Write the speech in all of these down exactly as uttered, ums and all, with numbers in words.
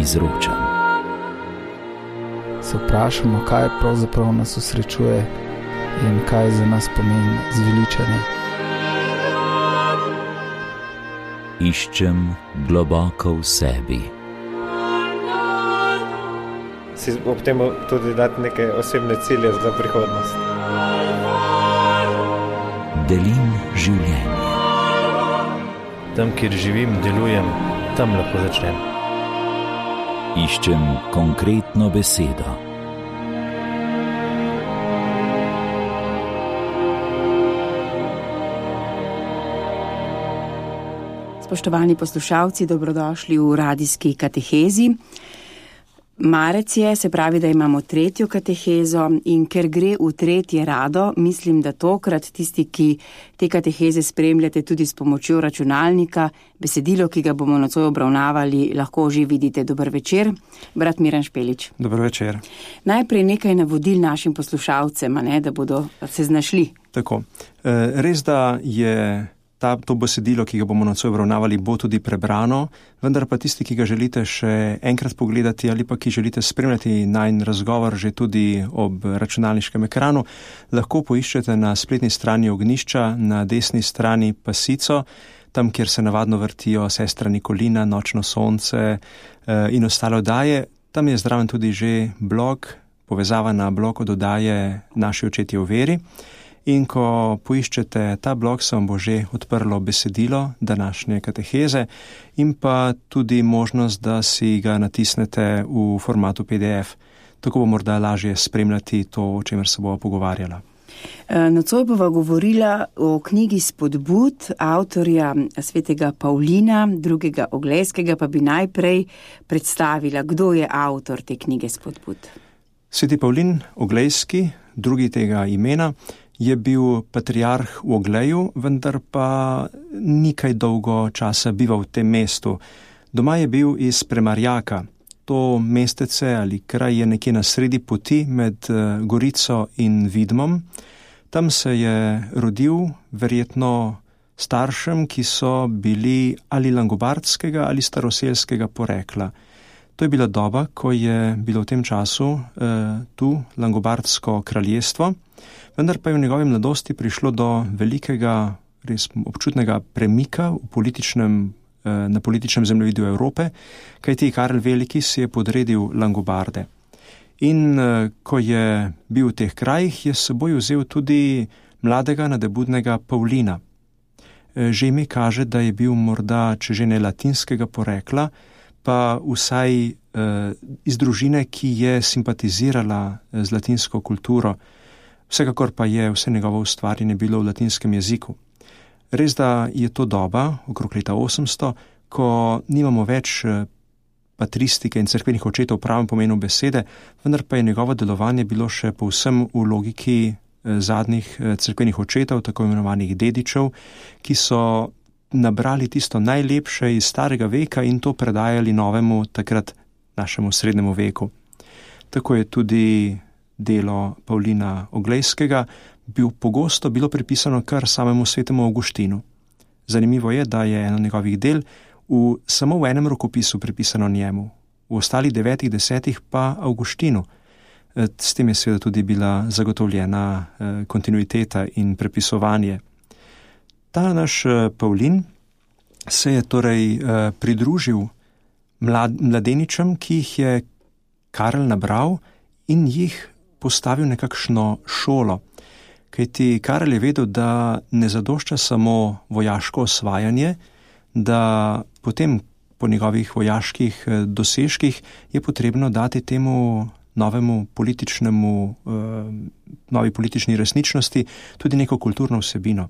izročam. Se vprašamo, kaj pravzaprav nas osrečuje in kaj za nas pomeni zveličanje. Iščem globoko v sebi. Si ob tem tudi dati neke osebne cilje za prihodnost. Delim življenje. Tam, kjer živim, delujem, tam lahko začnem. Iščem konkretno besedo. Spoštovani poslušalci, dobrodošli v radijski katehezi. Marec je, se pravi, da imamo tretjo katehezo in ker gre v tretje rado, mislim, da tokrat tisti, ki te kateheze spremljate tudi s pomočjo računalnika, besedilo, ki ga bomo nocoj obravnavali, lahko že vidite. Dober večer, brat Miran Špelič. Dober večer. Najprej nekaj navodil našim poslušalcem, ne, da bodo se znašli. Tako, res da je Ta, to besedilo, ki ga bomo nocoj obravnavali, bo tudi prebrano, vendar pa tisti, ki ga želite še enkrat pogledati ali pa ki želite spremljati najin razgovor že tudi ob računalniškem ekranu, lahko poiščete na spletni strani Ognjišča, na desni strani Pasico, tam, kjer se navadno vrtijo Sestra Nikolina, Nočno sonce in ostale oddaje. Tam je zraven tudi že blog, povezava na blog od oddaje Naši očetje v veri. In ko poiščete ta blog, se vam bo že odprlo besedilo današnje kateheze in pa tudi možnost, da si ga natisnete v formatu P D F. Tako bo morda lažje spremljati to, o čemer se bova pogovarjala. Nocoj bova govorila o knjigi Spodbud avtorja svetega Pavlina, drugega Oglejskega, pa bi najprej predstavila, kdo je avtor te knjige Spodbud. Sveti Pavlin Oglejski, drugi tega imena, je bil patriarh v Ogleju, vendar pa ni kaj dolgo časa bival v tem mestu. Doma je bil iz Premarjaka. To mestece ali kraj je nekje na sredi poti med Gorico in Vidmom. Tam se je rodil verjetno staršem, ki so bili ali langobardskega ali staroselskega porekla. To je bila doba, ko je bilo v tem času eh, tu langobardsko kraljestvo, vendar pa je v njegovi mladosti prišlo do velikega, res občutnega premika v političnem, eh, na političnem zemljevidu Evrope, kajti Karel Veliki si je podredil Langobarde. In eh, ko je bil v teh krajih, je s seboj vzel tudi mladega nadebudnega Pavlina. Eh, že ime kaže, da je bil morda, če že ne latinskega porekla, pa vsaj eh, iz družine, ki je simpatizirala z latinsko kulturo. Vsekakor pa je vse njegovo ustvarjanje bilo v latinskem jeziku. Res da je to doba, okrog leta osemsto, ko nimamo več patristike in cerkvenih očetov v pravem pomenu besede, vendar pa je njegovo delovanje bilo še povsem v logiki zadnjih cerkvenih očetov, tako imenovanih dedičev, ki so nabrali tisto najlepše iz starega veka in to predajali novemu, takrat našemu srednjemu veku. Tako je tudi delo Pavlina Oglejskega bil pogosto bilo pripisano kar samemu svetemu Avguštinu. Zanimivo je, da je eno njegovih del v, samo v enem rokopisu pripisano njemu, v ostalih devetih, desetih pa Avguštinu. S tem je seveda tudi bila zagotovljena kontinuiteta in prepisovanje. Ta naš Pavlin se je torej pridružil mlad, mladeničem, ki jih je Karel nabral in jih postavil nekakšno šolo. Kajti Karel je vedel, da ne zadošča samo vojaško osvajanje, da potem po njegovih vojaških dosežkih je potrebno dati temu novemu političnemu, novi politični resničnosti tudi neko kulturno vsebino.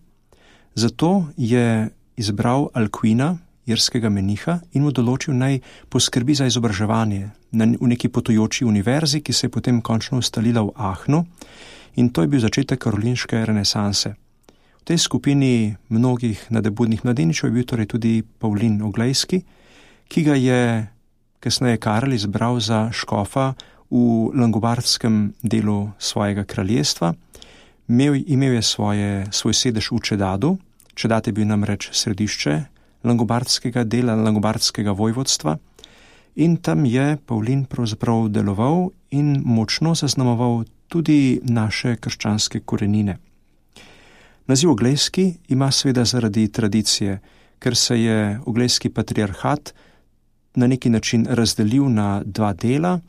Zato je izbral Alkuina, irskega meniha, in mu določil naj poskrbi za izobraževanje v neki potujoči univerzi, ki se je potem končno ustalila v Aachnu, in to je bil začetek karolinške renesanse. V tej skupini mnogih nadebudnih mladeničev je bil torej tudi Pavlin Oglejski, ki ga je kasneje Karel izbral za škofa v langobardskem delu svojega kraljestva. Imel, imel je svoje, svoj sedež v Čedadu. Čedat je bil namreč središče langobardskega dela, langobardskega vojvodstva, in tam je Pavlin pravzaprav deloval in močno zaznamoval tudi naše krščanske korenine. Naziv Oglejski ima seveda zaradi tradicije, ker se je Oglejski patriarhat na neki način razdelil na dva dela.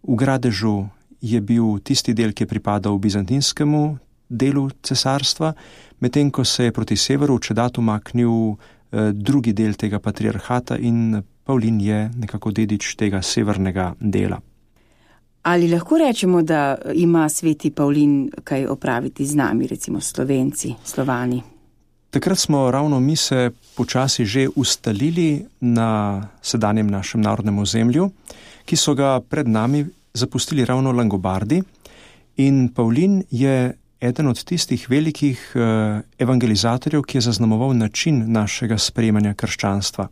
V Gradežu je bil tisti del, ki je pripadal bizantinskemu delu cesarstva, medtem ko se je proti severu Čedat umaknil eh, drugi del tega patriarhata in Pavlin je nekako dedič tega severnega dela. Ali lahko rečemo, da ima sveti Pavlin kaj opraviti z nami, recimo Slovenci, Slovani? Takrat smo ravno mi se počasi že ustalili na sedanjem našem narodnem ozemlju, ki so ga pred nami zapustili ravno Langobardi, in Pavlin je eden od tistih velikih evangelizatorjev, ki je zaznamoval način našega sprejemanja krščanstva.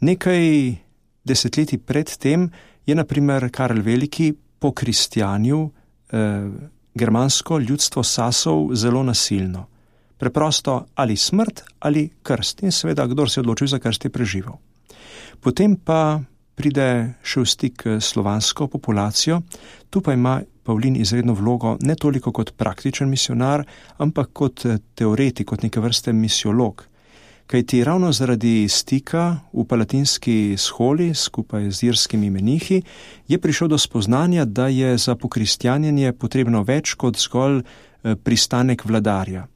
Nekaj desetletij pred tem je na primer Karel Veliki pokristjanil eh, germansko ljudstvo Sasov zelo nasilno. Preprosto ali smrt ali krst, in seveda, kdor se je odločil za krst, je preživel. Potem pa pride še v stik s slovansko populacijo, tu pa ima Pavlin izredno vlogo ne toliko kot praktičen misionar, ampak kot teoretik, kot neke vrste misiolog. Kajti ravno zaradi stika v palatinski sholi skupaj z irskimi menihi je prišel do spoznanja, da je za pokristjanjenje potrebno več kot zgolj pristanek vladarja.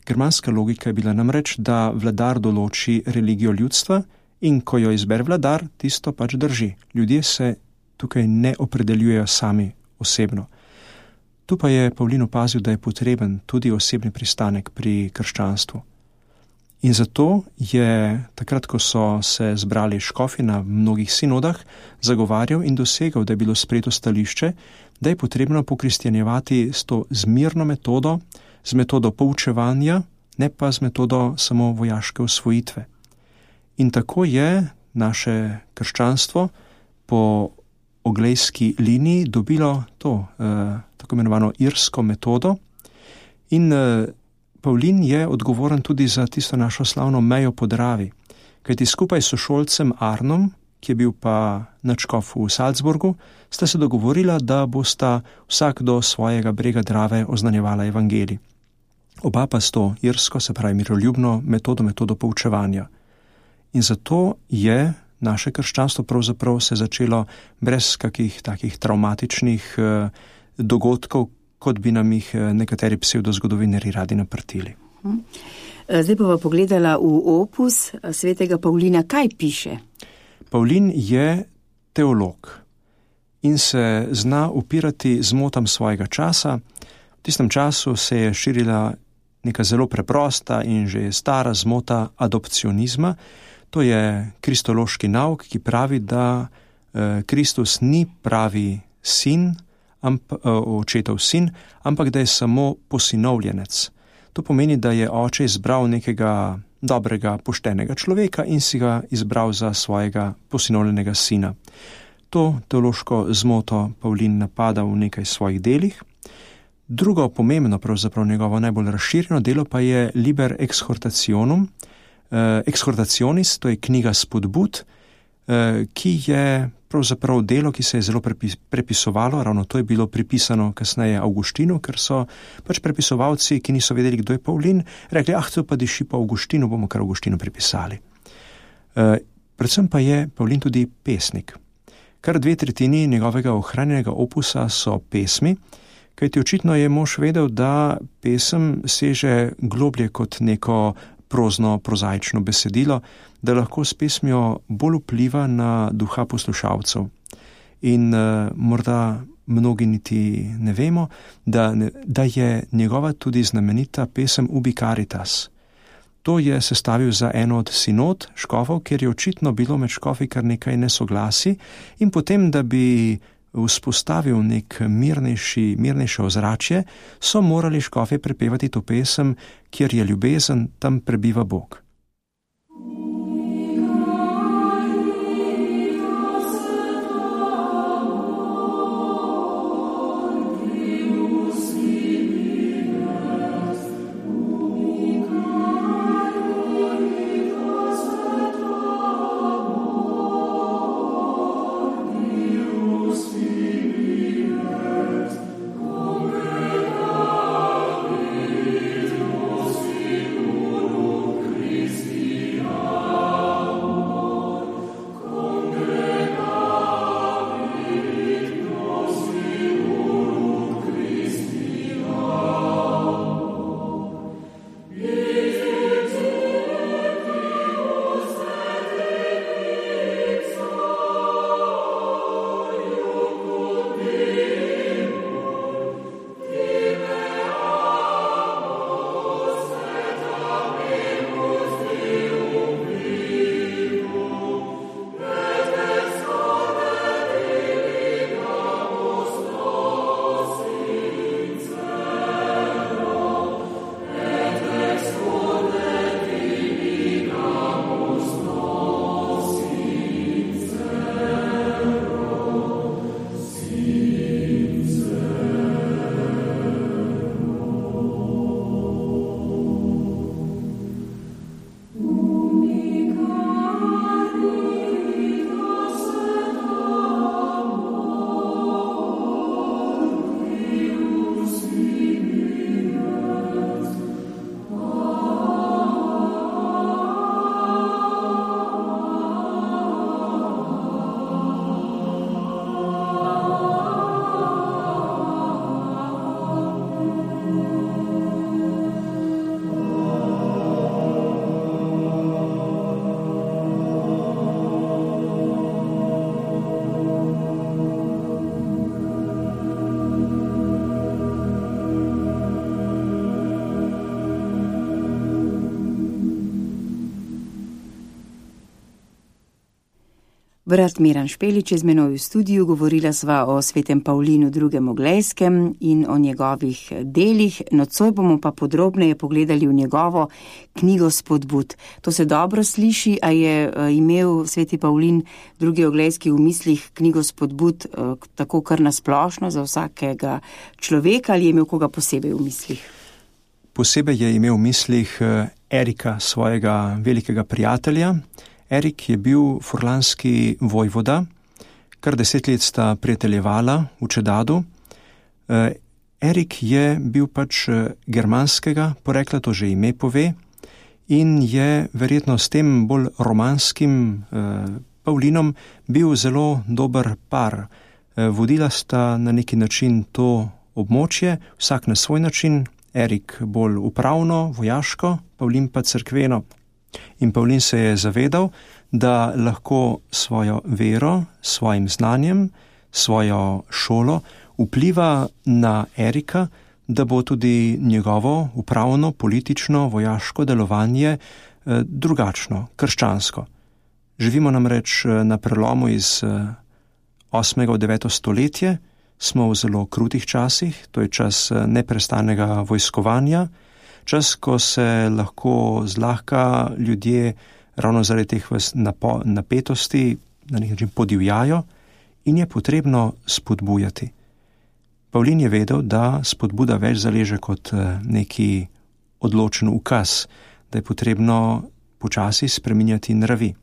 Germanska logika je bila namreč, da vladar določi religijo ljudstva in ko jo izbere vladar, tisto pač drži. Ljudje se tukaj ne opredeljujejo sami osebno. Tu pa je Pavlin opazil, da je potreben tudi osebni pristanek pri krščanstvu. In zato je, takrat, ko so se zbrali škofi na mnogih sinodah, zagovarjal in dosegal, da je bilo sprejeto stališče, da je potrebno pokristjanjevati s to zmirno metodo, z metodo poučevanja, ne pa z metodo samo vojaške osvojitve. In tako je naše krščanstvo po oglejski liniji dobilo to, eh, tako imenovano irsko metodo, in eh, Pavlin je odgovoren tudi za tisto našo slavno mejo po Dravi, kajti skupaj s sošolcem Arnom, ki je bil pa nadškof v Salzburgu, sta se dogovorila, da bosta vsak do svojega brega Drave oznanjevala evangelij. Oba pa s to irsko, se pravi miroljubno metodo, metodo poučevanja. In zato je naše krščanstvo pravzaprav se začelo brez kakih takih travmatičnih eh, dogodkov, kot bi nam jih nekateri psevdozgodovinari radi naprtili. Zdaj pa pogledala v opus svetega Pavlina. Kaj piše? Pavlin je teolog in se zna upirati zmotam svojega časa. V tistem času se je širila neka zelo preprosta in že stara zmota adopcionizma. To je kristološki nauk, ki pravi, da eh, Kristus ni pravi sin, Amp, očetov sin, ampak da je samo posinovljenec. To pomeni, da je oče izbral nekega dobrega, poštenega človeka in si ga izbral za svojega posinovljenega sina. To teološko zmoto Pavlin napada v nekaj svojih delih. Drugo pomembno, pravzaprav njegovo najbolj razširjeno delo pa je Liber Exhortationum, eh, Exhortationis, to je knjiga spodbud, eh, ki je pravzaprav delo, ki se je zelo prepisovalo, ravno to je bilo pripisano kasneje Avguštinu, ker so pač prepisovalci, ki niso vedeli, kdo je Pavlin, rekli, ah, to pa diši po Avguštinu, bomo kar Avguštinu pripisali. E, predvsem pa je Pavlin tudi pesnik. Kar dve tretjini njegovega ohranjenega opusa so pesmi, kajti očitno je mož vedel, da pesem seže globlje kot neko prozno, prozaično besedilo, da lahko s pesmijo bolj vpliva na duha poslušalcev. In uh, morda mnogi niti ne vemo, da, da je njegova tudi znamenita pesem Ubi Caritas. To je sestavil za eno od sinod škofov, ker je očitno bilo med škofi kar nekaj nesoglasi, in potem, da bi vzpostavil nek mirnejši, mirnejše ozračje, so morali škofje prepevati to pesem, kjer je ljubezen, tam prebiva Bog. Brat Miran Špelič je z menoj v studiu, govorila sva o svetem Pavlinu drugem Oglejskem in o njegovih delih, nocoj bomo pa podrobneje pogledali v njegovo knjigo Spodbud. To se dobro sliši, a je imel sveti Pavlin drugi Oglejski v mislih knjigo Spodbud tako kar nasplošno za vsakega človeka ali je imel koga posebej v mislih? Posebej je imel v mislih Erika, svojega velikega prijatelja. Erik je bil furlanski vojvoda, kar deset let sta prijateljevala v Čedadu. Erik je bil pač germanskega porekla, to že ime pove, in je verjetno s tem bolj romanskim Pavlinom bil zelo dober par. Vodila sta na neki način to območje, vsak na svoj način, Erik bolj upravno, vojaško, Pavlin pa cerkveno. In Pavlin se je zavedal, da lahko svojo vero, svojim znanjem, svojo šolo vpliva na Erika, da bo tudi njegovo upravno, politično, vojaško delovanje drugačno, krščansko. Živimo namreč na prelomu iz osmega v deveto stoletje, smo v zelo krutih časih, to je čas neprestanega vojskovanja, čas, ko se lahko zlahka ljudje ravno zaradi teh napetosti na nek način podivjajo in je potrebno spodbujati. Pavlin je vedel, da spodbuda več zaleže kot neki odločen ukaz, da je potrebno počasi spreminjati nravi.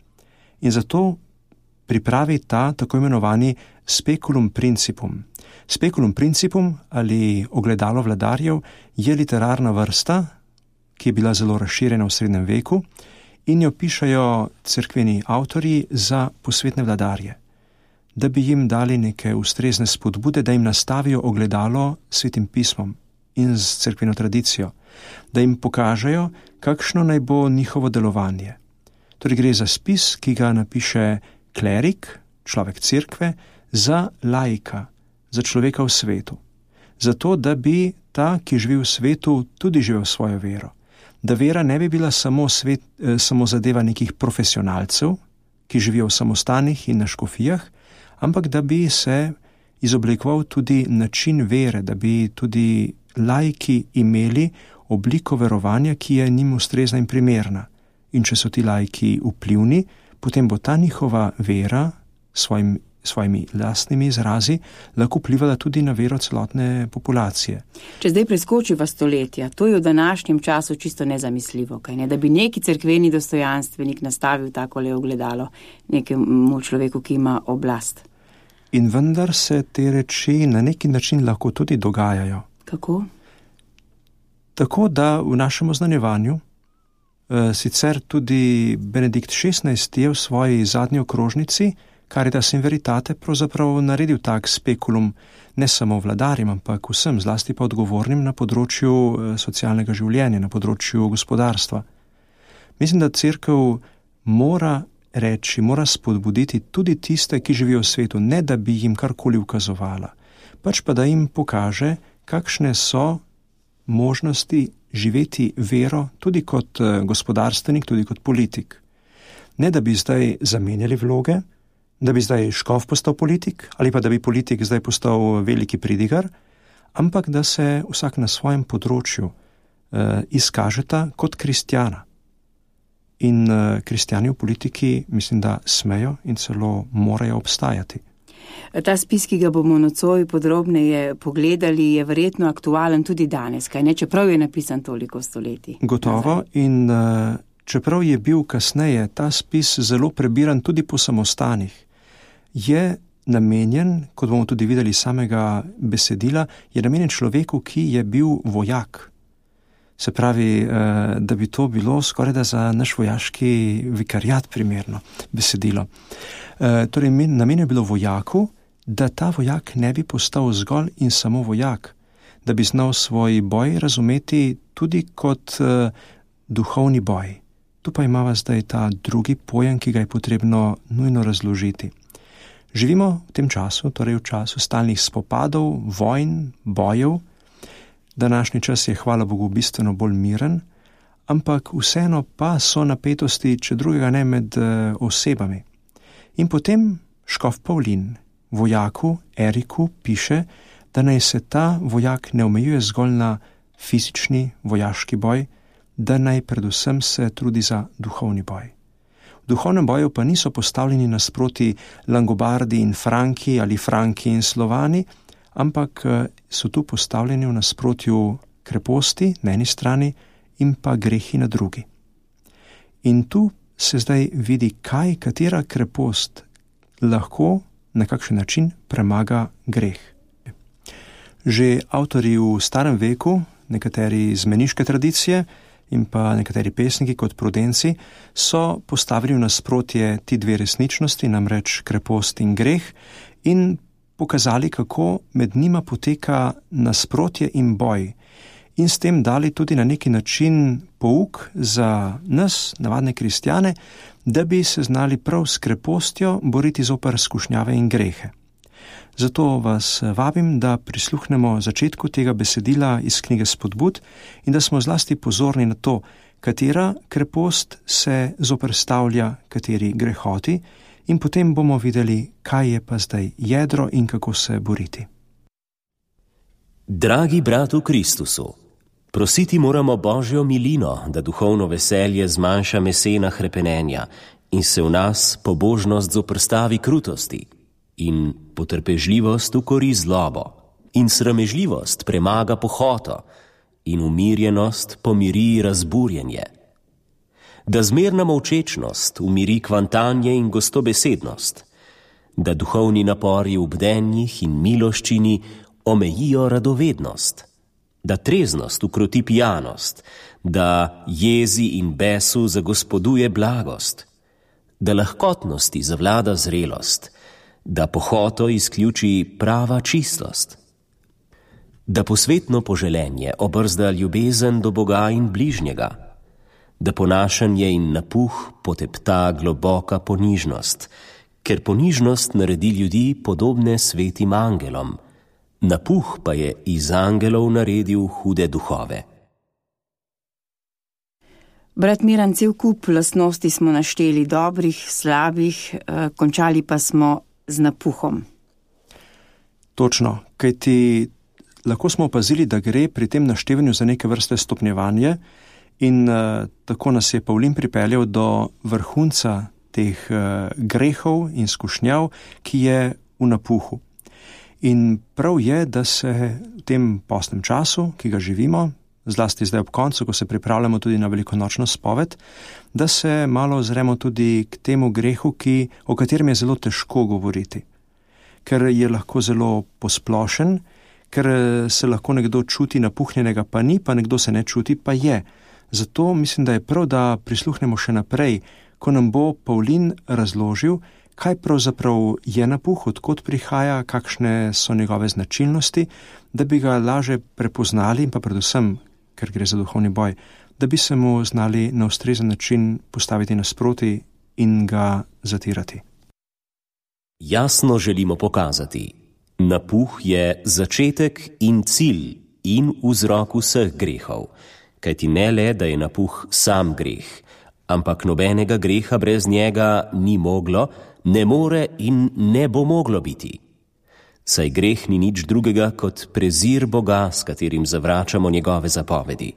In zato pripravi ta tako imenovani speculum principum. Speculum principum ali ogledalo vladarjev je literarna vrsta, ki je bila zelo razširjena v srednjem veku in jo pišajo cerkveni avtorji za posvetne vladarje, da bi jim dali neke ustrezne spodbude, da jim nastavijo ogledalo s svetim pismom in s cerkveno tradicijo, da jim pokažejo, kakšno naj bo njihovo delovanje. Torej gre za spis, ki ga napiše klerik, človek cerkve, za laika, za človeka v svetu. Zato, da bi ta, ki živi v svetu, tudi živel svojo vero. Da vera ne bi bila samo, svet, eh, samo zadeva nekih profesionalcev, ki živijo v samostanih in na škofijah, ampak da bi se izoblikoval tudi način vere, da bi tudi laiki imeli obliko verovanja, ki je njim ustrezna in primerna. In če so ti laiki vplivni, potem bo ta njihova vera svojim, svojimi lastnimi izrazi lahko vplivala tudi na vero celotne populacije. Če zdaj preskočiva stoletja, to je v današnjem času čisto nezamisljivo, kaj ne? Da bi neki cerkveni dostojanstvenik nastavil takole ogledalo nekemu človeku, ki ima oblast. In vendar se te reči na neki način lahko tudi dogajajo. Kako? Tako, da v našem oznanjevanju sicer tudi Benedikt šestnajsti je v svoji zadnji okrožnici Caritas in Veritate pravzaprav naredil tak spekulum ne samo vladarjem, ampak vsem, zlasti pa odgovornim na področju socialnega življenja, na področju gospodarstva. Mislim, da cerkev mora reči, mora spodbuditi tudi tiste, ki živijo v svetu, ne da bi jim karkoli ukazovala, pač pa da jim pokaže, kakšne so možnosti živeti vero tudi kot gospodarstvenik, tudi kot politik. Ne da bi zdaj zamenjali vloge, da bi zdaj škof postal politik ali pa da bi politik zdaj postal veliki pridigar, ampak da se vsak na svojem področju eh, izkažeta kot kristjana. In eh, kristjani v politiki mislim, da smejo in celo morajo obstajati. Ta spis, ki ga bomo nocoj podrobneje pogledali, je verjetno aktualen tudi danes, kaj ne, čeprav je napisan toliko stoletij. Gotovo in uh, čeprav je bil kasneje ta spis zelo prebiran tudi po samostanih, je namenjen, kot bomo tudi videli samega besedila, je namenjen človeku, ki je bil vojak. Se pravi, uh, da bi to bilo skoraj da za naš vojaški vikariat primerno besedilo. Uh, torej, namenjen je bilo vojaku, da ta vojak ne bi postal zgolj in samo vojak, da bi znal svoj boj razumeti tudi kot uh, duhovni boj. Tu pa imava zdaj ta drugi pojem, ki ga je potrebno nujno razložiti. Živimo v tem času, torej v času stalnih spopadov, vojn, bojev. Današnji čas je, hvala Bogu, bistveno bolj miren, ampak vseeno pa so napetosti, če drugega ne, med uh, osebami. In potem škof Pavlin vojaku Eriku piše, da naj se ta vojak ne omejuje zgolj na fizični vojaški boj, da naj predvsem se trudi za duhovni boj. V duhovnem boju pa niso postavljeni nasproti Langobardi in Franki ali Franki in Slovani, ampak so tu postavljeni v nasprotju kreposti na eni strani in pa grehi na drugi. In tu se zdaj vidi, kaj katera krepost lahko na kakšen način premaga greh. Že avtorji v starem veku, nekateri iz meniške tradicije in pa nekateri pesniki kot Prudenci, so postavili v nasprotje ti dve resničnosti, namreč krepost in greh, in pokazali, kako med njima poteka nasprotje in boj, in s tem dali tudi na neki način pouk za nas, navadne kristjane, da bi se znali prav s krepostjo boriti zoper skušnjave in grehe. Zato vas vabim, da prisluhnemo začetku tega besedila iz knjige Spodbud in da smo zlasti pozorni na to, katera krepost se zoperstavlja kateri grehoti, in potem bomo videli, kaj je pa zdaj jedro in kako se boriti. Dragi brat v Kristusu, prositi moramo Božjo milino, da duhovno veselje zmanjša mesena hrepenenja in se v nas pobožnost zoprstavi krutosti in potrpežljivost ukori zlobo in sramežljivost premaga pohoto in umirjenost pomiri razburjenje. Da zmerna molčečnost umiri kvantanje in gostobesednost, da duhovni napori v bdenjih in miloščini omejijo radovednost, da treznost ukroti pijanost, da jezi in besu zagospoduje blagost, da lahkotnosti zavlada zrelost, da pohoto izključi prava čistost, da posvetno poželenje obrzda ljubezen do Boga in bližnjega, da ponašanje in napuh potepta globoka ponižnost, ker ponižnost naredi ljudi podobne svetim angelom, napuh pa je iz angelov naredil hude duhove. Brat Miran, cel kup lastnosti smo našteli, dobrih, slabih, eh, končali pa smo z napuhom. Točno, kajti lahko smo opazili, da gre pri tem naštevanju za neke vrste stopnjevanje in uh, tako nas je Pavlin pripeljal do vrhunca teh uh, grehov in skušnjav, ki je v napuhu. In prav je, da se v tem postnem času, ki ga živimo, zlasti zdaj ob koncu, ko se pripravljamo tudi na velikonočno spoved, da se malo ozremo tudi k temu grehu, ki, o katerem je zelo težko govoriti. Ker je lahko zelo posplošen, ker se lahko nekdo čuti napuhnjenega, pa ni, pa nekdo se ne čuti, pa je. Zato mislim, da je prav, da prisluhnemo še naprej, ko nam bo Pavlin razložil, kaj pravzaprav je napuh, odkot prihaja, kakšne so njegove značilnosti, da bi ga laže prepoznali in pa predvsem, ker gre za duhovni boj, da bi se mu znali na ustrezen način postaviti nasproti in ga zatirati. Jasno želimo pokazati, napuh je začetek in cilj in vzrok vseh grehov, kajti ne le, da je napuh sam greh, ampak nobenega greha brez njega ni moglo, ne more in ne bo moglo biti. Saj greh ni nič drugega kot prezir Boga, s katerim zavračamo njegove zapovedi.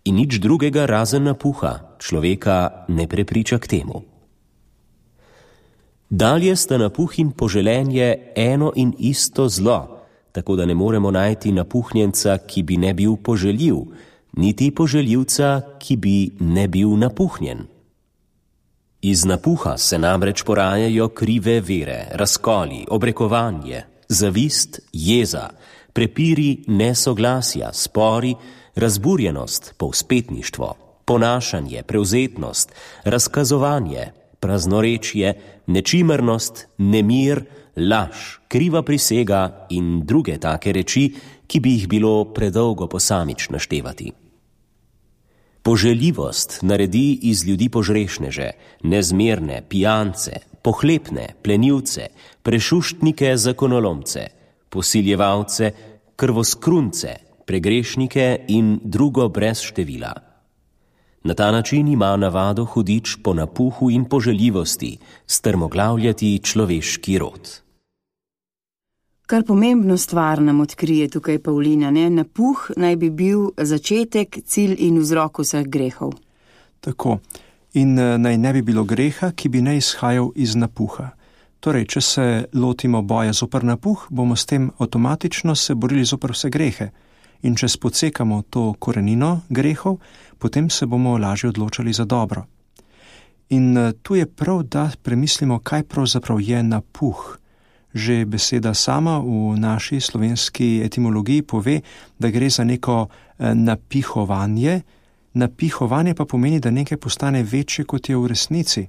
In nič drugega razen napuha človeka ne prepriča k temu. Dalje sta napuh in poželenje eno in isto zlo, tako da ne moremo najti napuhnjenca, ki bi ne bil poželjiv, niti poželjivca, ki bi ne bil napuhnjen. Iz napuha se namreč porajajo krive vere, razkoli, obrekovanje, zavist, jeza, prepiri, nesoglasja, spori, razburjenost, povzpetništvo, ponašanje, prevzetnost, razkazovanje, praznorečje, nečimrnost, nemir, laž, kriva prisega in druge take reči, ki bi jih bilo predolgo posamič naštevati. Poželjivost naredi iz ljudi požrešneže, nezmerne, pijance, pohlepne, plenilce, prešuštnike, zakonolomce, posiljevalce, krvoskrunce, pregrešnike in drugo brez števila. Na ta način ima navado hudič po napuhu in poželjivosti strmoglavljati človeški rod. Kar pomembno stvar nam odkrije tukaj Pavlina, ne? Napuh naj bi bil začetek, cilj in vzrok vseh grehov. Tako. In naj ne bi bilo greha, ki bi ne izhajal iz napuha. Torej, če se lotimo boja zoper napuh, bomo s tem avtomatično se borili zoper vse grehe. In če spodsekamo to korenino grehov, potem se bomo lažje odločali za dobro. In tu je prav, da premislimo, kaj pravzaprav je napuh. Že beseda sama v naši slovenski etimologiji pove, da gre za neko napihovanje. Napihovanje pa pomeni, da nekaj postane večje, kot je v resnici.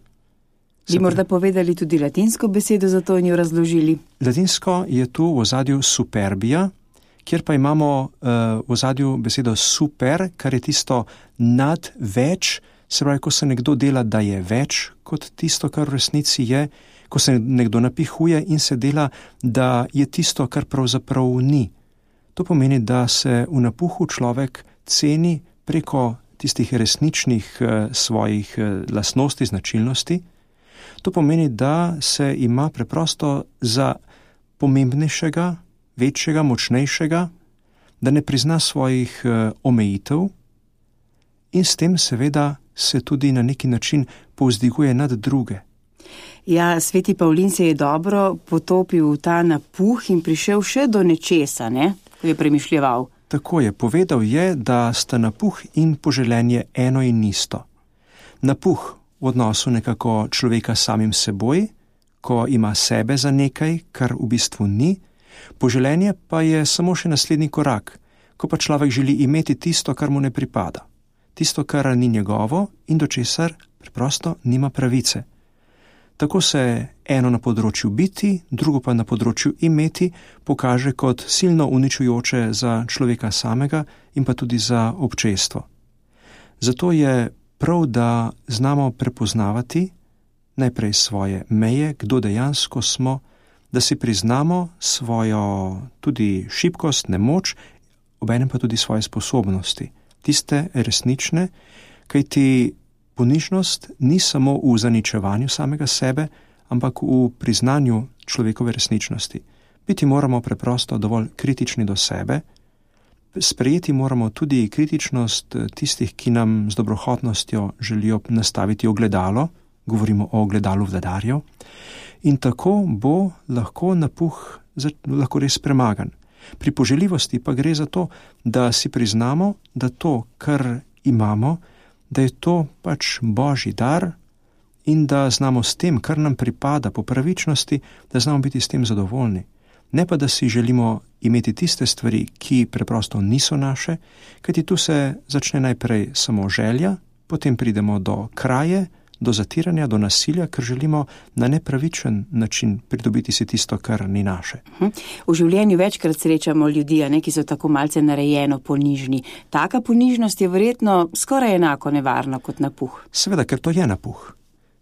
Bi morda povedali tudi latinsko besedo za to in jo razložili? Latinsko je tu v ozadju superbia, kjer pa imamo uh, v ozadju besedo super, kar je tisto nad več, se pravi, ko se nekdo dela, da je več kot tisto, kar v resnici je, ko se nekdo napihuje in se dela, da je tisto, kar pravzaprav ni. To pomeni, da se v napuhu človek ceni preko tistih resničnih uh, svojih uh, lastnosti, značilnosti. To pomeni, da se ima preprosto za pomembnejšega, večjega, močnejšega, da ne prizna svojih uh, omejitev in s tem seveda se tudi na neki način povzdiguje nad druge. Ja, sveti Pavlin se je dobro potopil v ta napuh in prišel še do nečesa, ne? Ko je premišljeval. Tako je, povedal je, da sta napuh in poželenje eno in isto. Napuh v odnosu nekako človeka samim seboj, ko ima sebe za nekaj, kar v bistvu ni, poželenje pa je samo še naslednji korak, ko pa človek želi imeti tisto, kar mu ne pripada, tisto, kar ni njegovo in do česar preprosto nima pravice. Tako se eno na področju biti, drugo pa na področju imeti pokaže kot silno uničujoče za človeka samega in pa tudi za občestvo. Zato je prav, da znamo prepoznavati najprej svoje meje, kdo dejansko smo, da si priznamo svojo tudi šibkost, nemoč, obenem pa tudi svoje sposobnosti, tiste resnične, kajti ponižnost ni samo v zaničevanju samega sebe, ampak v priznanju človekove resničnosti. Biti moramo preprosto dovolj kritični do sebe, sprejeti moramo tudi kritičnost tistih, ki nam z dobrohotnostjo želijo nastaviti ogledalo, govorimo o ogledalu vladarjev, in tako bo lahko napuh lahko res premagan. Pri poželjivosti pa gre za to, da si priznamo, da to, kar imamo, da je to pač Božji dar in da znamo s tem, kar nam pripada po pravičnosti, da znamo biti s tem zadovoljni. Ne pa, da si želimo imeti tiste stvari, ki preprosto niso naše, kajti tu se začne najprej samo želja, potem pridemo do kraje, do zatiranja, do nasilja, ker želimo na nepravičen način pridobiti si tisto, kar ni naše. V življenju večkrat srečamo ljudi, ne, ki so tako malce narejeno ponižni. Taka ponižnost je verjetno skoraj enako nevarna kot napuh. Seveda, ker to je napuh.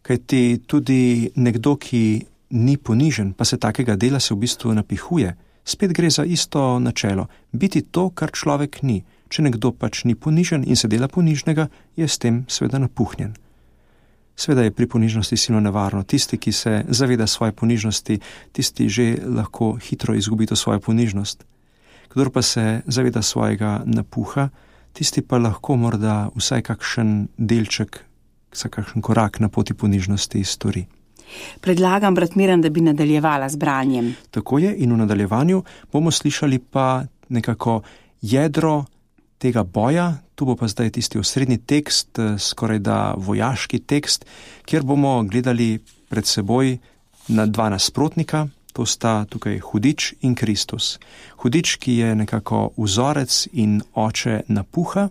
Kajti tudi nekdo, ki ni ponižen, pa se takega dela se v bistvu napihuje. Spet gre za isto načelo. Biti to, kar človek ni. Če nekdo pač ni ponižen in se dela ponižnega, je s tem seveda napuhnjen. Sveda je pri ponižnosti silno nevarno. Tisti, ki se zaveda svoje ponižnosti, tisti že lahko hitro izgubi to svojo ponižnost. Kdor pa se zaveda svojega napuha, tisti pa lahko morda vsaj kakšen delček, vsaj kakšen korak na poti ponižnosti stori. Predlagam, brat Miran, da bi nadaljevala z branjem. Tako je, in v nadaljevanju bomo slišali pa nekako jedro tega boja. Tu bo pa zdaj tisti osrednji tekst, skoraj da vojaški tekst, kjer bomo gledali pred seboj na dva nasprotnika, to sta tukaj hudič in Kristus. Hudič, ki je nekako vzorec in oče napuha,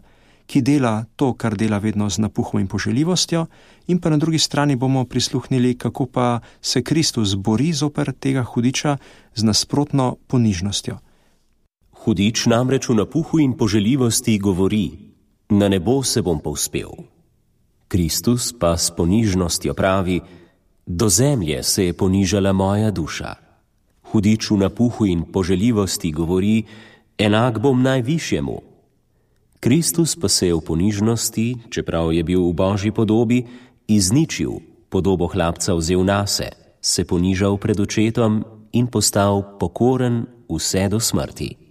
ki dela to, kar dela vedno z napuhom in poželjivostjo, in pa na drugi strani bomo prisluhnili, kako pa se Kristus bori zoper tega hudiča z nasprotno ponižnostjo. Hudič namreč v napuhu in poželjivosti govori: na nebo se bom povzpel. Kristus pa s ponižnostjo pravi: do zemlje se je ponižala moja duša. Hudič v napuhu in poželjivosti govori: enak bom najvišjemu. Kristus pa se je v ponižnosti, čeprav je bil v Božji podobi, izničil, podobo hlapca vzel nase, se ponižal pred očetom in postal pokoren vse do smrti.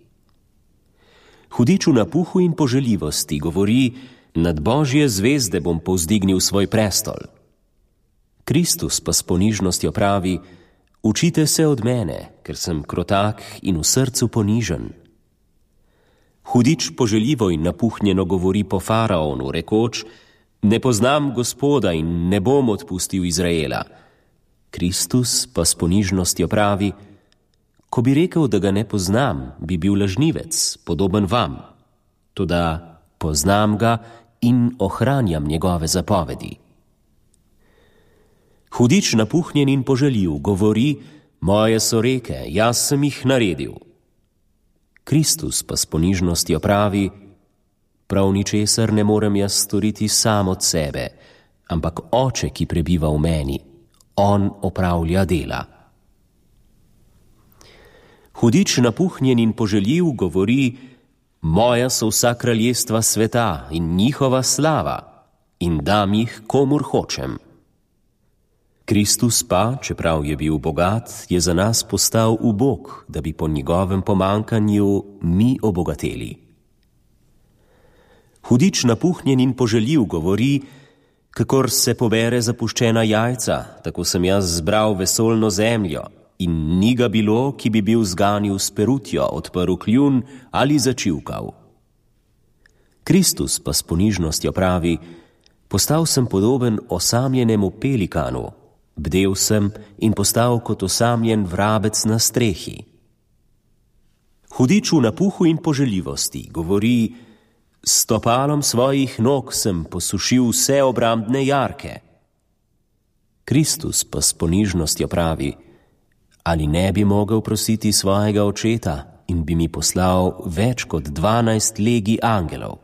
Hudič v napuhu in poželjivosti govori: nad Božje zvezde bom povzdignil svoj prestol. Kristus pa s ponižnostjo pravi: učite se od mene, ker sem krotak in v srcu ponižen. Hudič poželjivo in napuhnjeno govori po faraonu, rekoč: ne poznam Gospoda in ne bom odpustil Izraela. Kristus pa s ponižnostjo pravi: ko bi rekel, da ga ne poznam, bi bil lažnivec, podoben vam. Toda poznam ga in ohranjam njegove zapovedi. Hudič napuhnjen in poželjiv govori: moje so reke, jaz sem jih naredil. Kristus pa s ponižnostjo pravi: prav ničesar ne morem jaz storiti sam od sebe, ampak Oče, ki prebiva v meni, on opravlja dela. Hudič napuhnjen in poželjiv govori: moja so vsa kraljestva sveta in njihova slava, in dam jih komur hočem. Kristus pa, čeprav je bil bogat, je za nas postal ubog, da bi po njegovem pomankanju mi obogateli. Hudič napuhnjen in poželjiv govori: kakor se pobere zapuščena jajca, tako sem jaz zbral vesoljno zemljo, in ni ga bilo, ki bi bil zganil s perutjo, odprl kljun ali začivkal. Kristus pa s ponižnostjo pravi: postal sem podoben osamljenemu pelikanu, bdel sem in postal kot osamljen vrabec na strehi. Hudič v napuhu in poželjivosti govori: s stopalom svojih nog sem posušil vse obrambne jarke. Kristus pa s ponižnostjo pravi: ali ne bi mogel prositi svojega očeta in bi mi poslal več kot dvanajst legij angelov?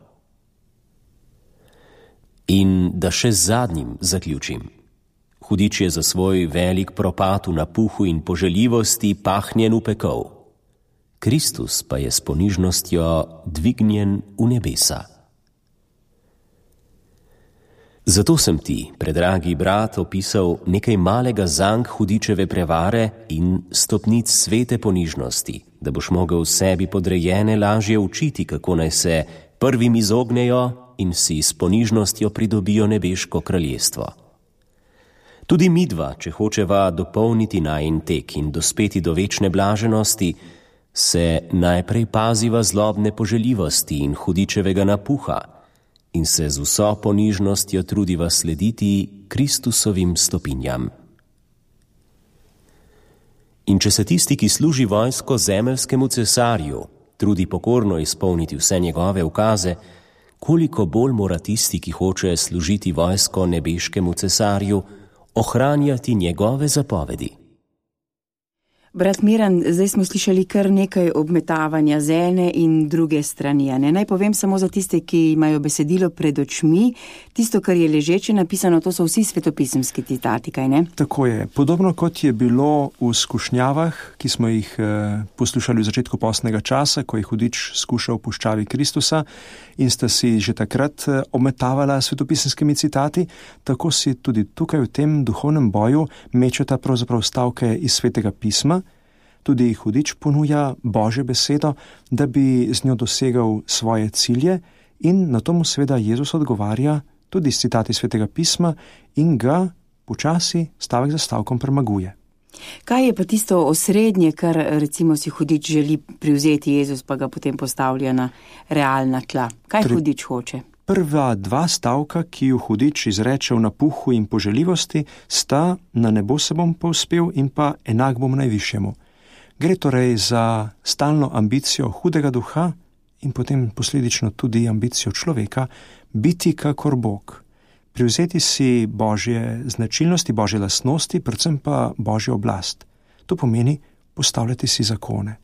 In da še z zadnjim zaključim. Hudič je za svoj velik propad v napuhu in poželjivosti pahnjen v pekel. Kristus pa je s ponižnostjo dvignjen v nebesa. Zato sem ti, predragi brat, opisal nekaj malega zank hudičeve prevare in stopnic svete ponižnosti, da boš mogel sebi podrejene lažje učiti, kako naj se prvim izognejo in si s ponižnostjo pridobijo nebeško kraljestvo. Tudi midva, če hočeva dopolniti najin tek in dospeti do večne blaženosti, se najprej paziva zlobne poželjivosti in hudičevega napuha in se z vso ponižnostjo trudiva slediti Kristusovim stopinjam. In če se tisti, ki služi vojsko zemeljskemu cesarju, trudi pokorno izpolniti vse njegove ukaze, koliko bolj mora tisti, ki hoče služiti vojsko nebeškemu cesarju, ohranjati njegove zapovedi. Brat Miran, zdaj smo slišali kar nekaj obmetavanja z ene in druge strani. Ne? Naj povem samo za tiste, ki imajo besedilo pred očmi, tisto, kar je ležeče napisano, to so vsi svetopisemski citati, kaj ne? Tako je. Podobno kot je bilo v skušnjavah, ki smo jih eh, poslušali v začetku postnega časa, ko je hudič skušal v puščavi Kristusa in sta si že takrat eh, obmetavala svetopisemskimi citati, tako si tudi tukaj v tem duhovnem boju mečeta pravzaprav stavke iz svetega pisma. Tudi hudič ponuja Božjo besedo, da bi z njo dosegal svoje cilje in na tomu seveda Jezus odgovarja tudi s citati svetega pisma in ga počasi stavek za stavkom premaguje. Kaj je pa tisto osrednje, kar recimo si hudič želi privzeti Jezus, pa ga potem postavlja na realna tla? Kaj Tri... hudič hoče? Prva dva stavka, ki ju hudič izreče v napuhu in poželjivosti, sta na nebo se bom povzpel in pa enak bom najvišjemu. Gre torej za stalno ambicijo hudega duha in potem posledično tudi ambicijo človeka biti kakor Bog. Privzeti si Božje značilnosti, Božje lastnosti, predvsem pa Božjo oblast. To pomeni postavljati si zakone,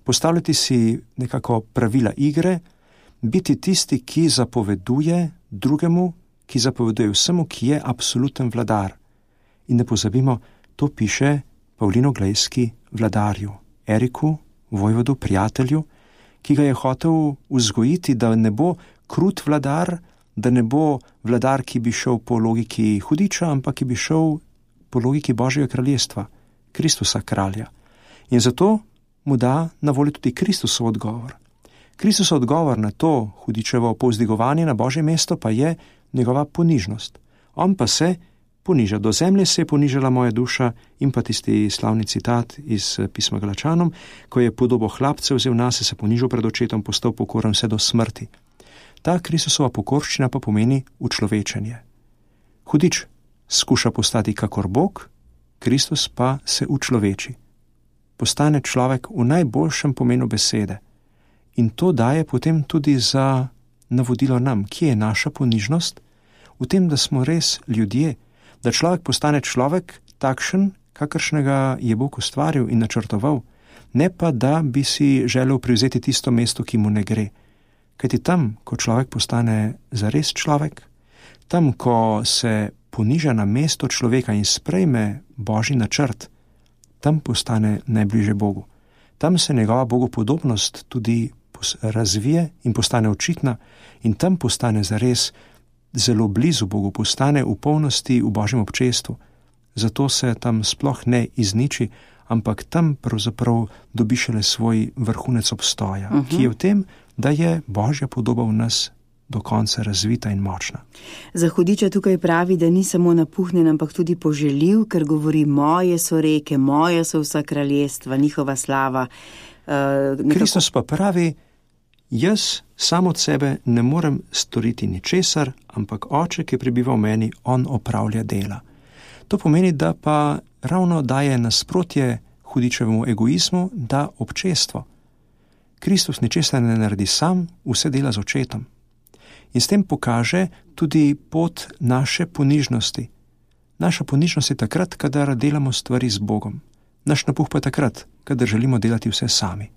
postavljati si nekako pravila igre, biti tisti, ki zapoveduje drugemu, ki zapoveduje vsemu, ki je absoluten vladar. In ne pozabimo, to piše Pavlin Oglejski vladarju, Eriku, vojvodu, prijatelju, ki ga je hotel vzgojiti, da ne bo krut vladar, da ne bo vladar, ki bi šel po logiki hudiča, ampak ki bi šel po logiki Božjega kraljestva, Kristusa kralja. In zato mu da na voljo tudi Kristusov odgovor. Kristusov odgovor na to hudičevo povzdigovanje na Božje mesto pa je njegova ponižnost. On pa se poniža. Do zemlje se je ponižala moja duša, in pa tisti slavni citat iz pisma Galačanom, ko je podobo hlapcev vzel nase, se ponižal pred očetom, postal pokoren vse do smrti. Ta Kristusova pokorščina pa pomeni učlovečenje. Hudič skuša postati kakor Bog, Kristus pa se učloveči. Postane človek v najboljšem pomenu besede. In to daje potem tudi za navodilo nam, kje je naša ponižnost, v tem, da smo res ljudje, da človek postane človek takšen, kakršnega je Bog ustvaril in načrtoval, ne pa da bi si želel privzeti tisto mesto, ki mu ne gre. Kajti tam, ko človek postane zares človek, tam, ko se poniža na mesto človeka in sprejme Božji načrt, tam postane najbliže Bogu. Tam se njegova bogopodobnost tudi razvije in postane očitna in tam postane zares zelo blizu Bogu, postane v polnosti v Božjem občestvu. Zato se tam sploh ne izniči, ampak tam pravzaprav dobi šele svoj vrhunec obstoja, uh-huh. ki je v tem, da je Božja podoba v nas do konca razvita in močna. Za hudiča tukaj pravi, da ni samo napuhnjen, ampak tudi poželjiv, ker govori, moje so reke, moje so vsa kraljestva, njihova slava. Uh, nekako... Kristus pa pravi, jaz sam od sebe ne morem storiti ničesar, ampak Oče, ki prebiva v meni, on opravlja dela. To pomeni, da pa ravno daje nasprotje hudičevemu egoizmu, da občestvo. Kristus ničesar ne naredi sam, vse dela z očetom. In s tem pokaže tudi pot naše ponižnosti. Naša ponižnost je takrat, kadar delamo stvari z Bogom. Naš napuh pa je takrat, kadar želimo delati vse sami.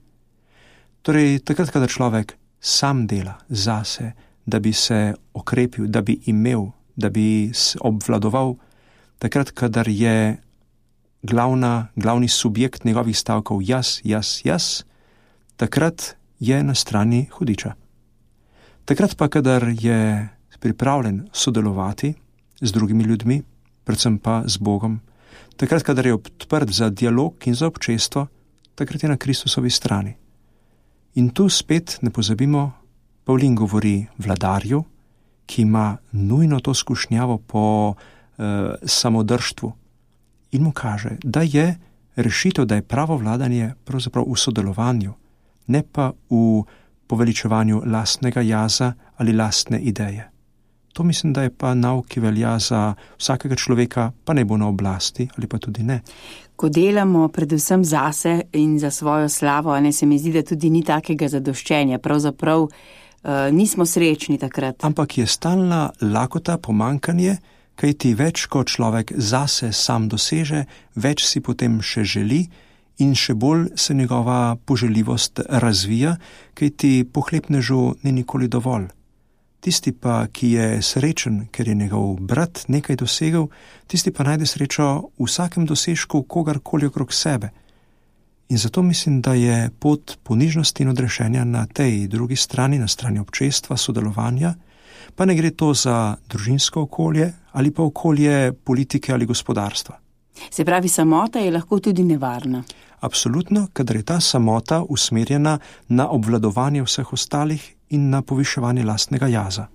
Torej, takrat, kadar človek sam dela zase, da bi se okrepil, da bi imel, da bi obvladoval, takrat, kadar je glavna, glavni subjekt njegovih stavkov jaz, jaz, jaz, takrat je na strani hudiča. Takrat pa, kadar je pripravljen sodelovati z drugimi ljudmi, predvsem pa z Bogom, takrat, kadar je odprt za dialog in za občestvo, takrat je na Kristusovi strani. In tu spet ne pozabimo, Pavlin govori vladarju, ki ima nujno to skušnjavo po eh, samodržstvu in mu kaže, da je rešitev, da je pravo vladanje pravzaprav v sodelovanju, ne pa v poveličevanju lastnega jaza ali lastne ideje. To mislim, da je pa nauk, ki velja za vsakega človeka, pa ne bo na oblasti ali pa tudi ne. Ko delamo predvsem zase in za svojo slavo, ne, se mi zdi, da tudi ni takega zadoščenja. Pravzaprav uh, nismo srečni takrat. Ampak je stalna lakota, pomankanje, kaj ti več, ko človek zase sam doseže, več si potem še želi in še bolj se njegova poželjivost razvija, kaj ti pohlepnežu ni nikoli dovolj. Tisti pa, ki je srečen, ker je njegov brat nekaj dosegel, tisti pa najde srečo v vsakem dosežku kogarkoli okrog sebe. In zato mislim, da je pot ponižnosti in odrešenja na tej drugi strani, na strani občestva, sodelovanja, pa ne gre to za družinsko okolje ali pa okolje politike ali gospodarstva. Se pravi, samota je lahko tudi nevarna. Absolutno, kadar je ta samota usmerjena na obvladovanje vseh ostalih in na poviševanje lastnega jaza.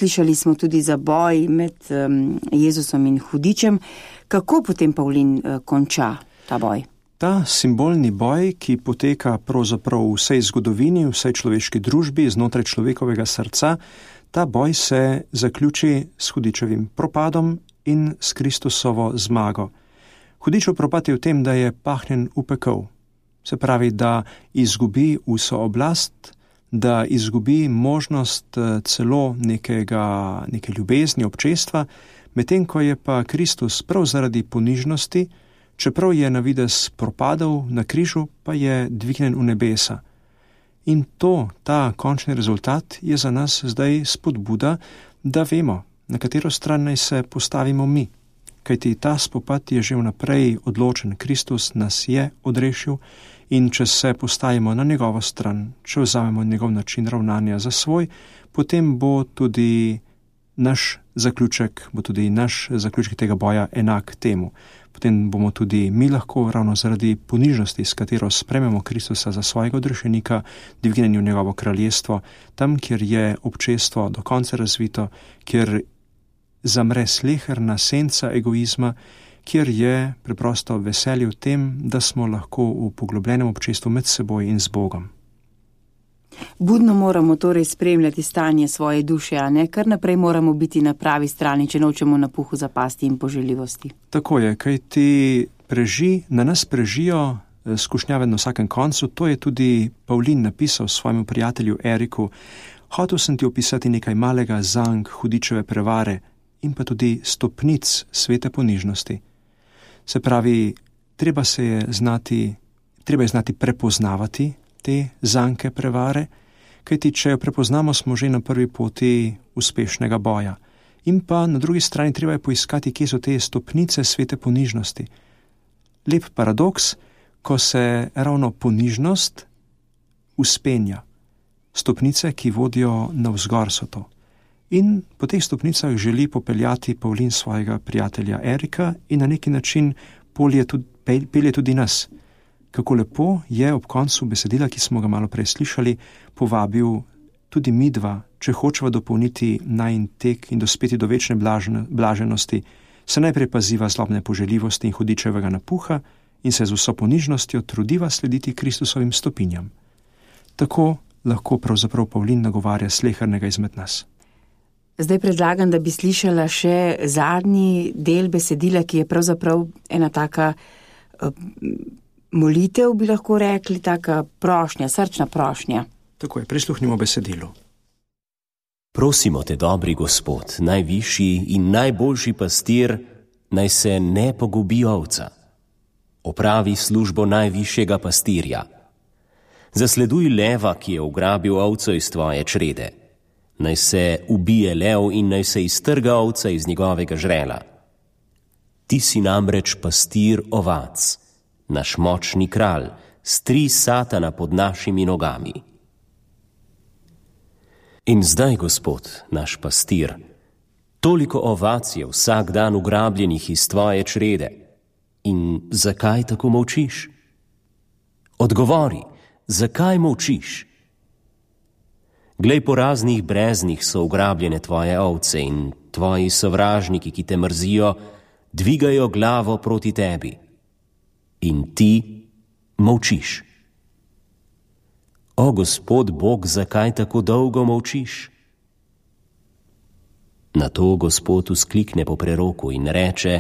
slišali smo tudi za boj med um, Jezusom in hudičem. Kako potem Pavlin uh, konča ta boj? Ta simbolni boj, ki poteka pravzaprav v vsej zgodovini, v vsej človeški družbi, znotraj človekovega srca, ta boj se zaključi s hudičevim propadom in s Kristusovo zmago. Hudičev propad je v tem, da je pahnjen v pekel. Se pravi, da izgubi vso oblast, da izgubi možnost celo nekega, neke ljubezni, občestva, medtem ko je pa Kristus prav zaradi ponižnosti, čeprav je na videz propadal na križu, pa je dvignjen v nebesa. In to, ta končni rezultat, je za nas zdaj spodbuda, da vemo, na katero stran naj se postavimo mi. Kajti ta spopad je že vnaprej odločen. Kristus nas je odrešil in če se postavimo na njegovo stran, če vzamemo njegov način ravnanja za svoj, potem bo tudi naš zaključek, bo tudi naš zaključek tega boja enak temu. Potem bomo tudi mi lahko ravno zaradi ponižnosti, s katero sprememo Kristusa za svojega odrešenika, dvignjeni v njegovo kraljestvo, tam, kjer je občestvo do konca razvito, kjer zamre sleherna senca egoizma, kjer je preprosto veselje v tem, da smo lahko v poglobljenem občestvu med seboj in z Bogom. Budno moramo torej spremljati stanje svoje duše, a ne kar naprej moramo biti na pravi strani, če nočemo na puhu zapasti in poželjivosti. Tako je, kaj ti preži, na nas prežijo skušnjave na vsakem koncu. To je tudi Pavlin napisal svojemu prijatelju Eriku. Hotel sem ti opisati nekaj malega zank hudičeve prevare in pa tudi stopnic svete ponižnosti. Se pravi, treba se je znati, treba je znati prepoznavati te zanke prevare, kajti če jo prepoznamo, smo že na prvi poti uspešnega boja. In pa na drugi strani treba je poiskati, kje so te stopnice svete ponižnosti. Lep paradoks, ko se ravno ponižnost uspenja. Stopnice, ki vodijo navzgor, so to. In po teh stopnicah želi popeljati Pavlin svojega prijatelja Erika in na neki način polje tudi, pelje tudi nas. Kako lepo je ob koncu besedila, ki smo ga malo prej slišali, povabil tudi midva, če hočeva dopolniti najin tek in dospeti do večne blaženosti, se najprej paziva zlobne poželjivosti in hudičevega napuha in se z vso ponižnostjo trudiva slediti Kristusovim stopinjam. Tako lahko pravzaprav Pavlin nagovarja slehernega izmed nas. Zdaj predlagam, da bi slišala še zadnji del besedila, ki je pravzaprav ena taka uh, molitev, bi lahko rekli, taka prošnja, srčna prošnja. Tako je, prisluhnimo besedilu. Prosimo te, dobri Gospod, najvišji in najboljši pastir, naj se ne pogubi ovca. Opravi službo najvišjega pastirja. Zasleduj leva, ki je ugrabil ovco iz tvoje črede. Naj se ubije lev in naj se iztrga ovca iz njegovega žrela. Ti si namreč pastir ovac, naš močni kralj, stri satana pod našimi nogami. In zdaj, Gospod, naš pastir, toliko ovac je vsak dan ugrabljenih iz tvoje črede. In zakaj tako molčiš? Odgovori, zakaj molčiš? Glej, po raznih breznih so ugrabljene tvoje ovce in tvoji sovražniki, ki te mrzijo, dvigajo glavo proti tebi. In ti molčiš. O, Gospod Bog, zakaj tako dolgo molčiš? Nato Gospod vzklikne po preroku in reče,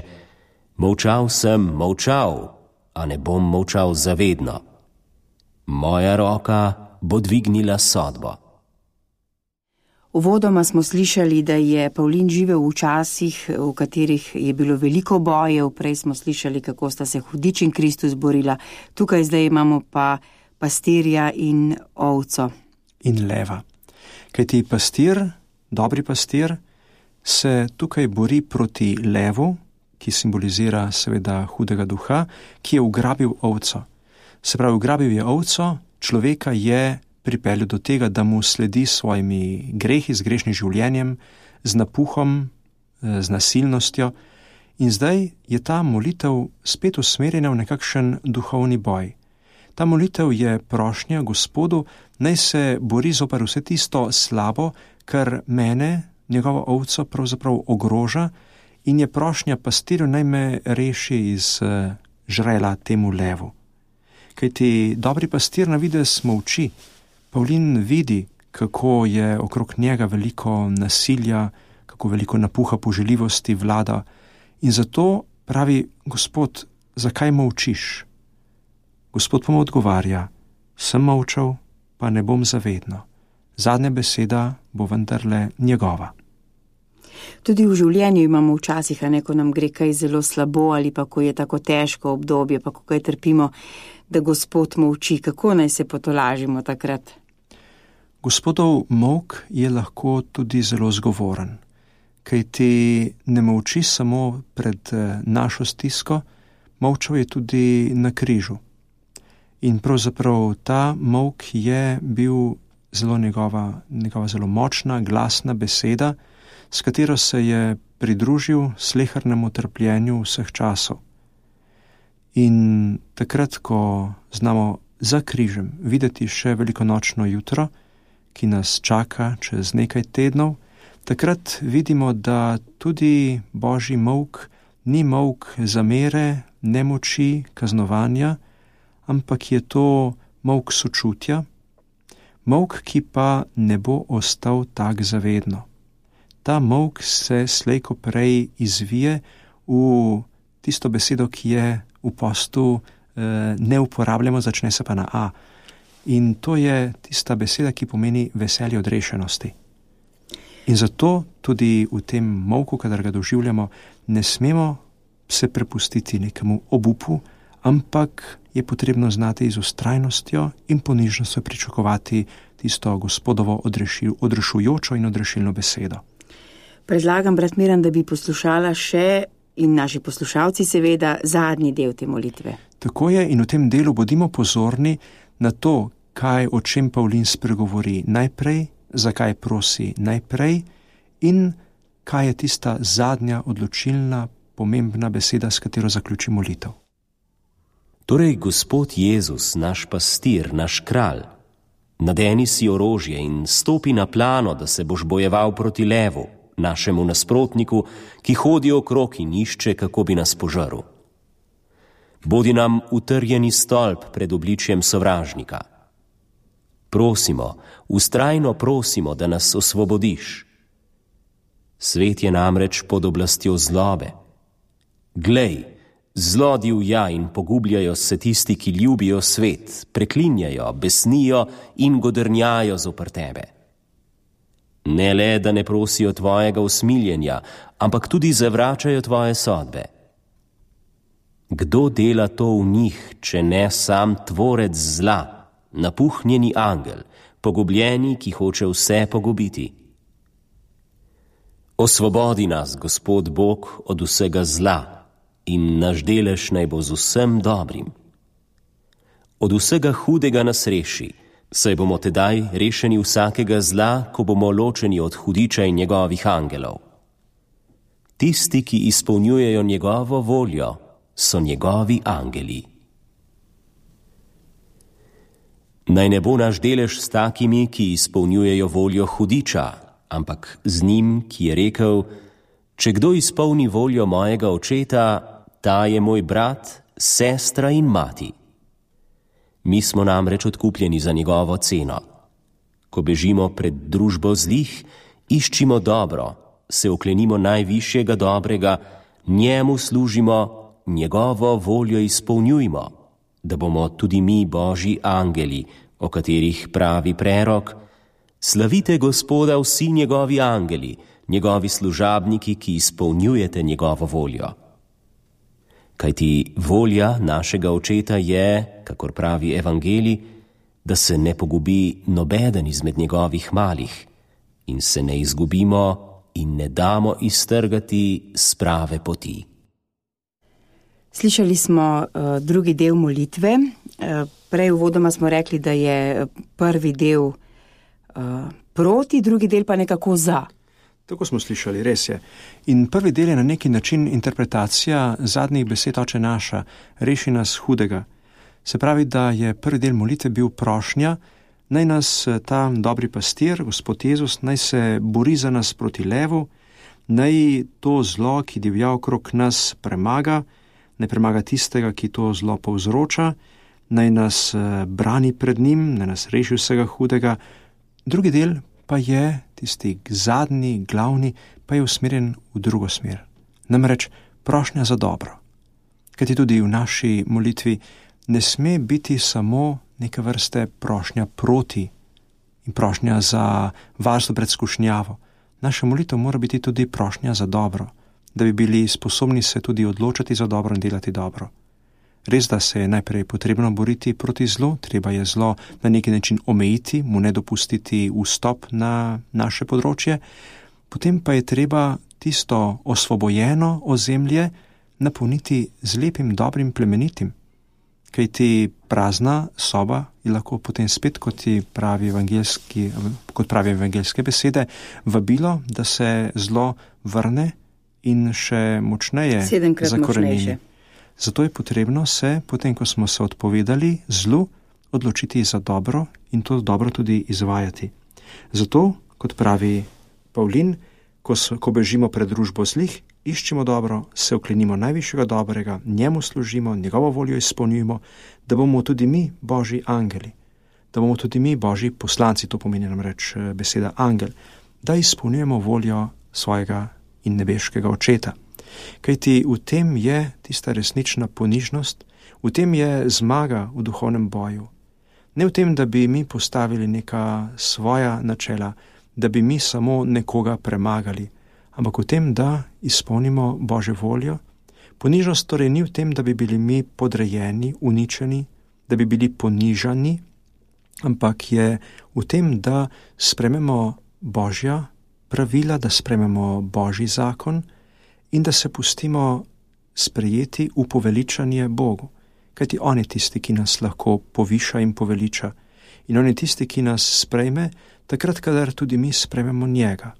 molčal sem, molčal, a ne bom molčal zavedno. Moja roka bo dvignila sodbo. Uvodoma smo slišali, da je Pavlin živel v časih, v katerih je bilo veliko bojev. Prej smo slišali, kako sta se hudič in Kristus borila. Tukaj zdaj imamo pa pastirja in ovco. In leva. Kajti pastir, dobri pastir, se tukaj bori proti levu, ki simbolizira seveda hudega duha, ki je ugrabil ovco. Se pravi, ugrabil je ovco, človeka je pripeljal do tega, da mu sledi s svojimi grehi, z grešnim življenjem, z napuhom, z nasilnostjo. In zdaj je ta molitev spet usmerjena v nekakšen duhovni boj. Ta molitev je prošnja Gospodu, naj se bori zoper vse tisto slabo, kar mene njegovo ovco pravzaprav ogroža in je prošnja pastirju naj me reši iz uh, žrela temu levu. Kajti dobri pastir na videz molči. Pavlin vidi, kako je okrog njega veliko nasilja, kako veliko napuha poželjivosti vlada in zato pravi: Gospod, zakaj molčiš? Gospod pa mu odgovarja: sem molčal, pa ne bom zavedno. Zadnja beseda bo vendarle njegova. Tudi v življenju imamo včasih, a ne, ko nam gre kaj zelo slabo ali pa ko je tako težko obdobje, pa ko kaj trpimo, da Gospod molči. Kako naj se potolažimo takrat? Gospodov molk je lahko tudi zelo zgovoren, kajti ne molči samo pred našo stisko, molčal je tudi na križu. In pravzaprav ta molk je bil zelo njegova, njegova zelo močna, glasna beseda, s katero se je pridružil slehernemu trpljenju vseh časov. In takrat, ko znamo za križem videti še velikonočno jutro, ki nas čaka čez nekaj tednov, takrat vidimo, da tudi Božji molk ni molk zamere, nemoči, kaznovanja, ampak je to molk sočutja, molk, ki pa ne bo ostal tak zavedno. Ta molk se slej ko prej izvije v tisto besedo, ki je v postu eh, ne uporabljamo, začne se pa na A. In to je tista beseda, ki pomeni veselje odrešenosti. In zato tudi v tem molku, kadar ga doživljamo, ne smemo se prepustiti nekemu obupu, ampak je potrebno znati z vztrajnostjo in ponižnostjo pričakovati tisto Gospodovo odrešil, odrešujočo in odrešilno besedo. Predlagam, brat Miran, da bi poslušala še in naši poslušalci seveda zadnji del te molitve. Tako je, in v tem delu bodimo pozorni na to, kaj, o čem Pavlin spregovori najprej, zakaj prosi najprej in kaj je tista zadnja odločilna, pomembna beseda, s katero zaključi molitev. Torej, Gospod Jezus, naš pastir, naš kralj, nadeni si orožje in stopi na plano, da se boš bojeval proti levu, našemu nasprotniku, ki hodi okrog in išče, kako bi nas požrl. Bodi nam utrjeni stolp pred obličjem sovražnika. Prosimo, vztrajno prosimo, da nas osvobodiš. Svet je namreč pod oblastjo zlobe. Glej, zlo divja in pogubljajo se tisti, ki ljubijo svet, preklinjajo, besnijo in godrnjajo zoper tebe. Ne le, da ne prosijo tvojega usmiljenja, ampak tudi zavračajo tvoje sodbe. Kdo dela to v njih, če ne sam tvorec zla, napuhnjeni angel, pogubljeni, ki hoče vse pogubiti? Osvobodi nas, Gospod Bog, od vsega zla in naš delež naj bo z vsem dobrim. Od vsega hudega nas reši, saj bomo tedaj rešeni vsakega zla, ko bomo ločeni od hudiča in njegovih angelov. Tisti, ki izpolnjujejo njegovo voljo, so njegovi angeli. Naj ne bo naš delež s takimi, ki izpolnjujejo voljo hudiča, ampak z njim, ki je rekel: če kdo izpolni voljo mojega očeta, ta je moj brat, sestra in mati. Mi smo namreč odkupljeni za njegovo ceno. Ko bežimo pred družbo zlih, iščimo dobro, se oklenimo najvišjega dobrega, njemu služimo, njegovo voljo izpolnjujmo, da bomo tudi mi Božji angeli, o katerih pravi prerok: slavite Gospoda vsi njegovi angeli, njegovi služabniki, ki izpolnjujete njegovo voljo. Kajti volja našega očeta je, kakor pravi evangelij, da se ne pogubi nobeden izmed njegovih malih in se ne izgubimo in ne damo iztrgati s prave poti. Slišali smo uh, drugi del molitve. Uh, prej uvodoma smo rekli, da je prvi del uh, proti, drugi del pa nekako za. Tako smo slišali, res je. In prvi del je na neki način interpretacija zadnjih besed Oče naša, reši nas hudega. Se pravi, da je prvi del molitve bil prošnja, Naj nas ta dobri pastir, Gospod Jezus, naj se bori za nas proti levu, naj to zlo, ki divja okrog nas, premaga, naj premaga tistega, ki to zlo povzroča, naj nas brani pred njim, naj nas reši vsega hudega. Drugi del pa je, tisti zadnji, glavni, pa je usmerjen v drugo smer. Namreč prošnja za dobro. Kajti tudi v naši molitvi ne sme biti samo neka vrste prošnja proti in prošnja za varstvo pred skušnjavo. Naša molitev mora biti tudi prošnja za dobro, da bi bili sposobni se tudi odločati za dobro in delati dobro. Res, da se je najprej potrebno boriti proti zlu, treba je zlo na neki način omejiti, mu ne dopustiti vstop na naše področje, potem pa je treba tisto osvobojeno ozemlje napolniti z lepim, dobrim, plemenitim. Kajti prazna soba je lahko potem spet, kot pravi evangeljski, kot pravi evangeljske besede, vabilo, da se zlo vrne in še močneje zakorenini. Zato je potrebno se, potem ko smo se odpovedali zlu, odločiti za dobro in to dobro tudi izvajati. Zato, kot pravi Pavlin, ko, so, ko bežimo pred družbo zlih, iščemo dobro, se oklenimo najvišjega dobrega, njemu služimo, njegovo voljo izpolnjujemo, da bomo tudi mi Božji angeli, da bomo tudi mi Božji poslanci, to pomeni namreč beseda angel, da izpolnjujemo voljo svojega in nebeškega očeta. Kajti v tem je tista resnična ponižnost, v tem je zmaga v duhovnem boju. Ne v tem, da bi mi postavili neka svoja načela, da bi mi samo nekoga premagali, ampak v tem, da izpolnimo Božjo voljo. Ponižnost torej ni v tem, da bi bili mi podrejeni, uničeni, da bi bili ponižani, ampak je v tem, da sprememo Božja pravila, da sprememo Božji zakon in da se pustimo sprejeti v poveličanje Bogu. Kajti on je tisti, ki nas lahko poviša in poveliča. In on je tisti, ki nas sprejme, takrat, kadar tudi mi sprejmemo njega.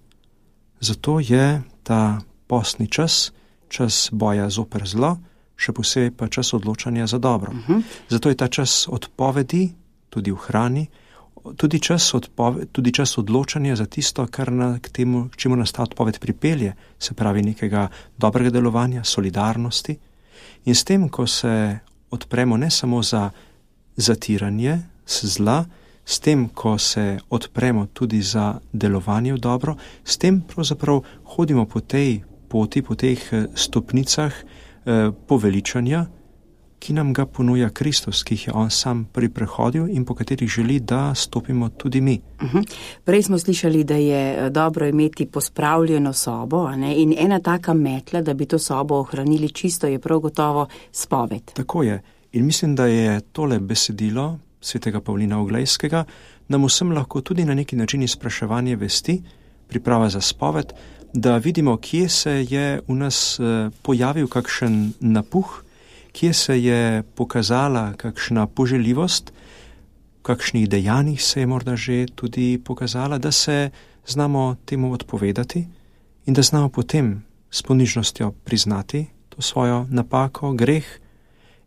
Zato je ta postni čas, čas boja zoper zlo, še posebej pa čas odločanja za dobro. Uh-huh. Zato je ta čas odpovedi, tudi v hrani, tudi čas, odpove, tudi čas odločanja za tisto, kar na, k temu, k čemu nas ta odpoved pripelje, se pravi nekega dobrega delovanja, solidarnosti. In s tem, ko se odpremo ne samo za zatiranje zla, s tem, ko se odpremo tudi za delovanje v dobro, s tem pravzaprav hodimo po tej poti, po teh stopnicah eh, poveličanja, ki nam ga ponuja Kristus, ki jih je on sam priprehodil in po katerih želi, da stopimo tudi mi. Uh-huh. Prej smo slišali, da je dobro imeti pospravljeno sobo, a ne? In ena taka metla, da bi to sobo ohranili čisto, je prav gotovo spoved. Tako je. In mislim, da je tole besedilo svetega Pavlina Oglejskega nam vsem lahko tudi na neki način izpraševanje vesti, priprava za spoved, da vidimo, kje se je v nas pojavil kakšen napuh, kje se je pokazala kakšna poželjivost, v kakšnih dejanjih se je morda že tudi pokazala, da se znamo temu odpovedati in da znamo potem s ponižnostjo priznati to svojo napako, greh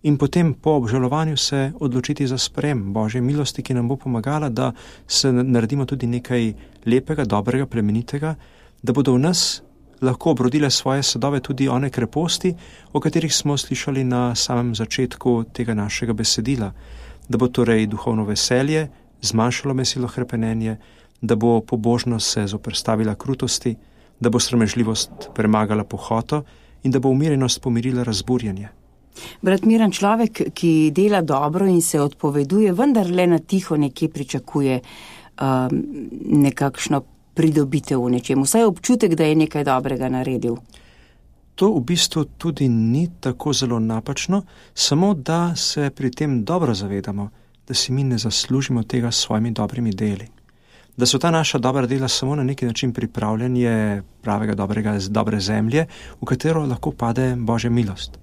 in potem po obžalovanju se odločiti za sprejem Božje milosti, ki nam bo pomagala, da se naredimo tudi nekaj lepega, dobrega, plemenitega, da bodo v nas lahko obrodile svoje sadove tudi one kreposti, o katerih smo slišali na samem začetku tega našega besedila, da bo torej duhovno veselje zmanjšalo mesilo hrepenenje, da bo pobožnost se zoperstavila krutosti, da bo sramežljivost premagala pohoto in da bo umirjenost pomirila razburjenje. Brat Miran, človek, ki dela dobro in se odpoveduje, vendar le na tiho nekje pričakuje um, nekakšno pridobitev v nečem, vsaj občutek, da je nekaj dobrega naredil. To v bistvu tudi ni tako zelo napačno, samo da se pri tem dobro zavedamo, da si mi ne zaslužimo tega s svojimi dobrimi deli. Da so ta naša dobra dela samo na neki način pripravljanje pravega dobrega, dobre zemlje, v katero lahko pade Božja milost.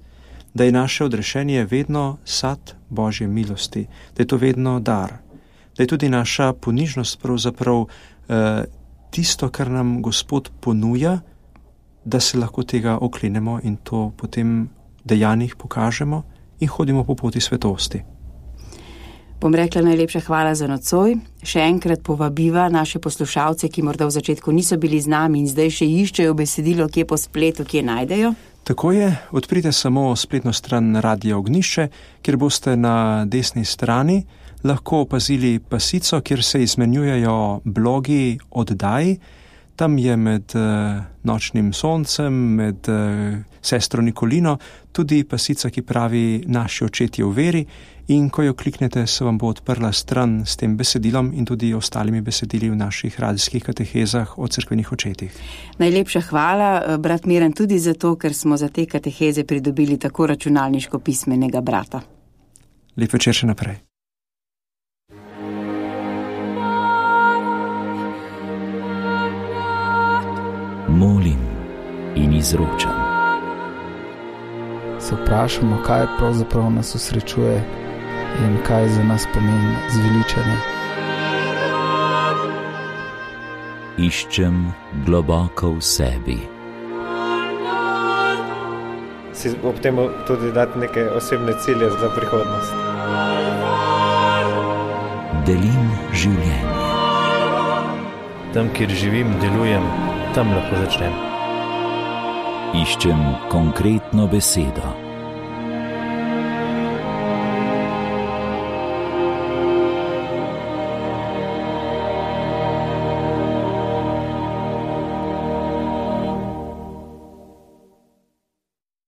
Da je naše odrešenje vedno sad Božje milosti, da je to vedno dar, da je tudi naša ponižnost pravzaprav eh, tisto, kar nam Gospod ponuja, da se lahko tega oklenemo in to potem dejanjih pokažemo in hodimo po poti svetosti. Bom rekla najlepša hvala za nocoj. Še enkrat povabiva naše poslušalce, ki morda v začetku niso bili z nami in zdaj še iščejo besedilo, kje po spletu, kje najdejo. Tako je, odprite samo spletno stran Radia Ognjišče, kjer boste na desni strani lahko opazili pasico, kjer se izmenjujejo blogi oddaj. Tam je med uh, nočnim soncem, med uh, sestro Nikolino, tudi pasica, ki pravi Naši očetje v veri, in ko jo kliknete, se vam bo odprla stran s tem besedilom in tudi ostalimi besedili v naših radijskih katehezah o cerkvenih očetih. Najlepša hvala, brat Miran, tudi zato, ker smo za te kateheze pridobili tako računalniško pismenega brata. Lep večer še naprej. Molim in izročam. Se vprašamo, kaj pravzaprav nas osrečuje in kaj za nas pomeni zveličanje. Iščem globoko v sebi. Si ob tem tudi dati neke osebne cilje za prihodnost. Delim življenje. Tam, kjer živim, delujem, tam lahko začnem. Iščem konkretno besedo.